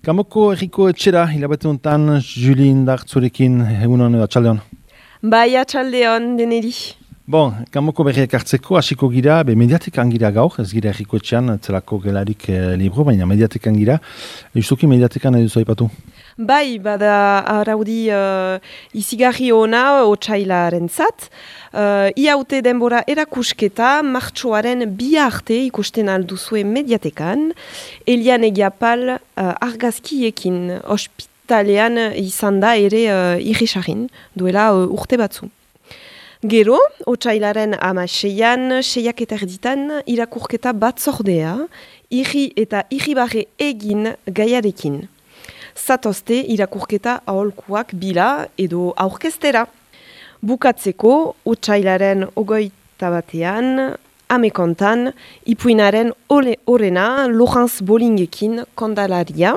Kamoko erriko etxera, hilabete honetan, Juli Indartzurekin, egunon edo atxaldeon. Bai, atxaldeon, deneri. Bon, Kamoko berriak hartzeko, hasiko gira, mediatekan gira gaur, ez gira erriko etxean, zelako gelarik libro, baina mediatekan gira. Justuki mediatekan edo zaipatu? Bai, bada araudi izigarri ona otsailaren zat. Iaute denbora erakusketa, martxoaren bi arte ikusten alduzue mediatekan, Elian Egiapal argazkiekin ospitalean izan da ere irrisarin, duela urte batzu. Gero, otsailaren 16an, 6:30 irakurketa batzordea, irri eta irribarre egin gaiarekin. Zatozte irakurketa aholkuak bila edo aurkeztera. Bukatzeko, otsailaren 21 amekontan, ipuinaren orena Laurence Bollingekin kondalaria.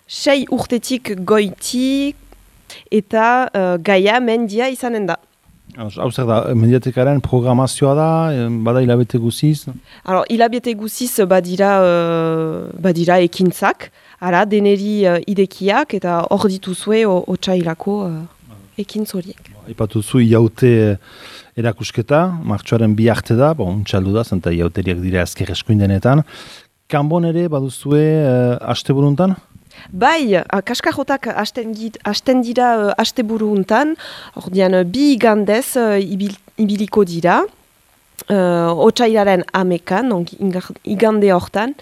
6 urtetik goiti eta gaia mendia izanen da. Hau zer da, mediatekaren programazioa da, bada hilabete guziz? Hilabete guziz badira ekintzak, deneri idekiak eta hor dituzue otsailako ekintz horiek. Ipatu zu iaute erakusketa, martxoaren bi arte da, txaldu da, zenta iauteriak dira azker eskuindenetan. Kanbon ere baduzue asteburuntan? Bai, kaskajotak hasten dira asteburu untan, ordean bi igandez ibiliko dira, otsailaren amekan, igande hortan,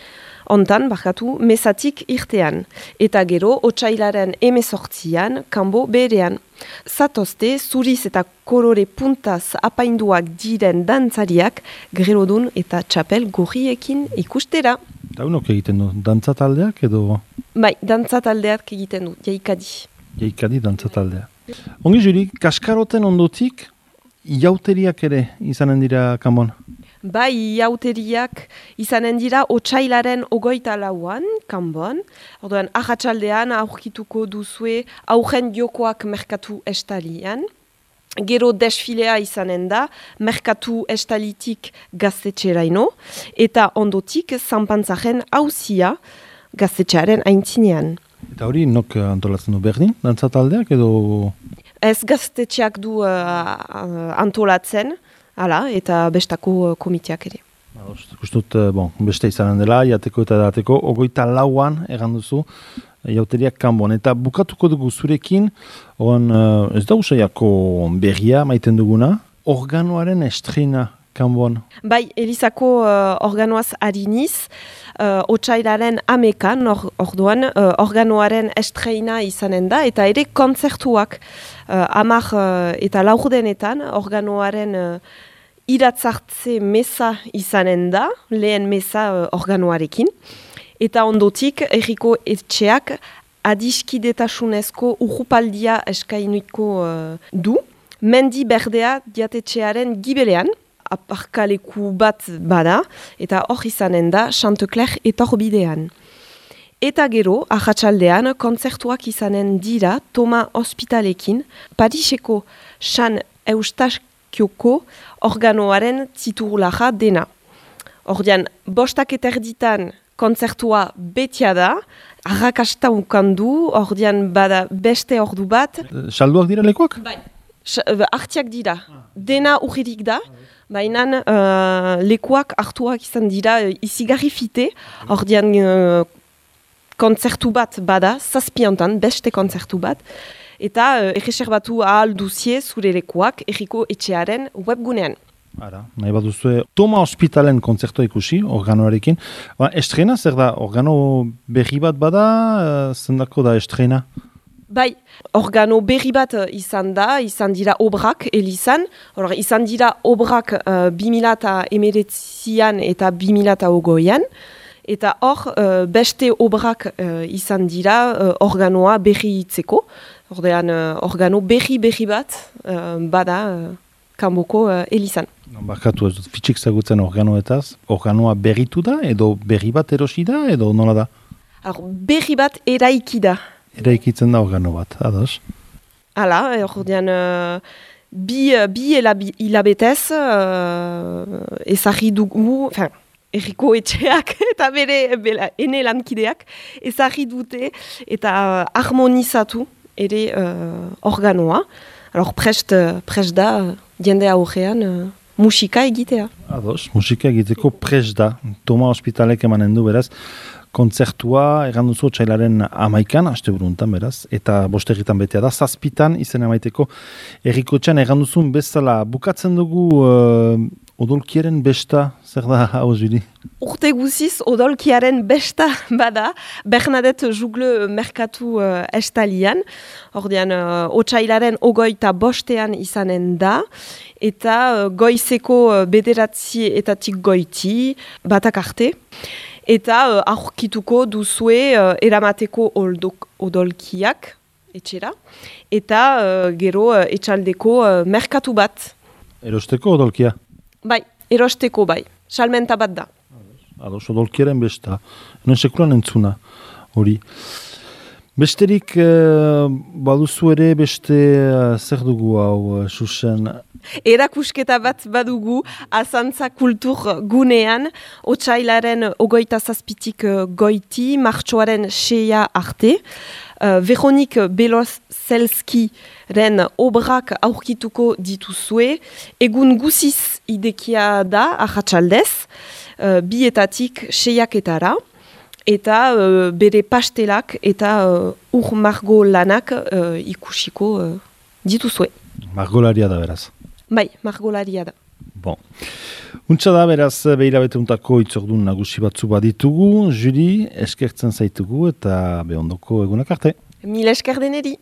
ontan, mesatik irtean, eta gero otsailaren 18an, kanbo berean. Zatozte, zuriz eta kolore puntaz apainduak diren dantzariak, grelodun eta txapel gorriekin ikustera. Eta unok egiten du, dantzataldeak edo? Bai, dantzataldeak egiten du, jaikadi. Jaikadi dantzataldea. Ongi Juli, kaskaroten ondotik, iauteriak ere izanen dira kanbon? Bai, iauteriak izanen dira otsailaren 24an kanbon. Orduan, ahatsaldean aurkituko duzue aurren jokoak merkatu estalian. Gero desfilea izanen da, merkatu estalitik gaztetxeraino, eta ondotik zanpantzaren hauzia gaztetxearen aintzinean. Eta hori, nok antolatzen du berdin, dantzataldeak edo? Ez gaztetxeak du antolatzen, eta bestako komiteak ere. Gustut, beste izanen dela, jateko eta edateko, 24an egan duzu, jauteriak kanbon. Eta bukatuko dugu zurekin, ez da usaiako berria maiten duguna, organoaren estrena kanbon. Bai, Elizako organoaz hariniz, otsailaren amekan, orduan, organoaren estrena izanen da, eta ere kontzertuak 10 eta laurdenetan organoaren iratzartze meza izanen da, lehen meza organoarekin. Eta ondotik, erriko etxeak adiskidetasunezko urrupaldia eskainuiko du. Mendi berdea diatetxearen gibelean, aparkaleku bat bada, eta hor izanen da Chantecler etorbidean. Eta gero, ahatsaldean, kontzertuak izanen dira Toma Hospitalekin, Pariseko San Eustakioko organoaren titulaja dena. Ordean, 5:30 kontzertua betia da, arrakasta ukandu, ordean bada beste ordu bat. Salduak dira lekuak? Bai, hartiak dira. Dena urririk da, baina lekuak hartuak izan dira izigarri fite, ordean kontzertu bat bada, 7 beste kontzertu bat, eta erreserbatu ahal duzie zure lekuak erriko etxearen webgunean. Nahi bat duzue, Toma Hospitalen kontzertua ikusi, organoarekin. Estrena, zer da, organo berri bat bada, zendako da estrena? Bai, organo berri bat izan dira obrak elizan. Izan dira obrak 2019an eta 2020an. Eta hor, beste obrak izan dira organoa berri itzeko. Organo berri bat bada kanboko elizan. Barkatu ez dut, fitxik zagutzen organoetaz, organoa berritu da, edo berri bat erosi da, edo nola da? Berri bat eraiki da. Eraikitzen da organo bat, ados? Ordean, bi hilabetez ezagri dugu, erriko etxeak eta bere ene lankideak ezarri dute eta harmonizatu ere organoa. Alors prest da jende aurrean musika egitea. Ados, musika egiteko prest da. Toma Hospitalek emanen du beraz. Kontzertua egan duzu otsailaren 11an, asteburuntan beraz, eta bostegitan betea da, 7 izen emaiteko errikotxean egan duzun bezala. Bukatzen dugu odolkiaren besta, zer da hau zuri? Urte guziz odolkiaren besta bada, Bernadette Jugle merkatu estalian, ordean otsailaren 25 izanen da, eta goizeko 9 goiti, batak arte, eta aurkituko duzue eramateko odolkiak etxera, eta gero etxaldeko merkatu bat. Erosteko odolkia? Bai, erosteko bai, salmenta bat da. Ados, odolkiaren besta. Hemen sekulan entzuna hori. Besterik baduzu ere beste zer dugu hau, Susen? Erakusketa bat badugu Azantza kultur gunean, otsailaren 27 goiti, martxoaren 6 arte. Veronik Belozelskiren obrak aurkituko dituzue, egun guziz idekia da, ahatsaldez, 2etatik 6etara, eta bere pastelak eta margo lanak ikusiko dituzue. Margolaria da beraz. Bai, margolaria da. Bon. Untsa da beraz behirabete untako itzordun nagusi batzu baditugu, Juri, eskertzen zaitugu eta behondoko egunak arte. Mil esker deneri.